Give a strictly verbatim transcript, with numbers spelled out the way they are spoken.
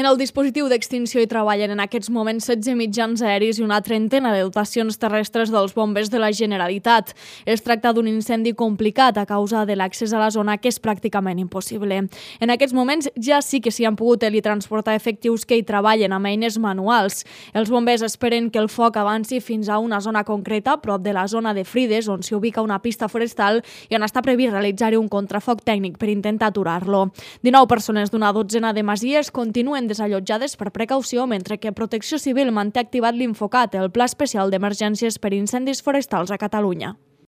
En el dispositiu d'extinció hi treballen en aquests moments setze mitjans aeris i una trentena de dotacions terrestres dels bombers de la Generalitat. Es tracta d'un incendi complicat a causa de l'accés a la zona, que és pràcticament impossible. En aquests moments ja sí que s'hi han pogut teletransportar efectius que hi treballen amb eines manuals. Els bombers esperen que el foc avanci fins a una zona concreta, prop de la zona de Frides, on s'hi ubica una pista forestal, i on està previst realitzar-hi un contrafoc tècnic per intentar aturar-lo. dinou persones d'una dotzena de masies continuen desallotjades per precaució, mentre que Protecció Civil manté activat l'Infocat, el Pla Especial d'Emergències per Incendis Forestals a Catalunya.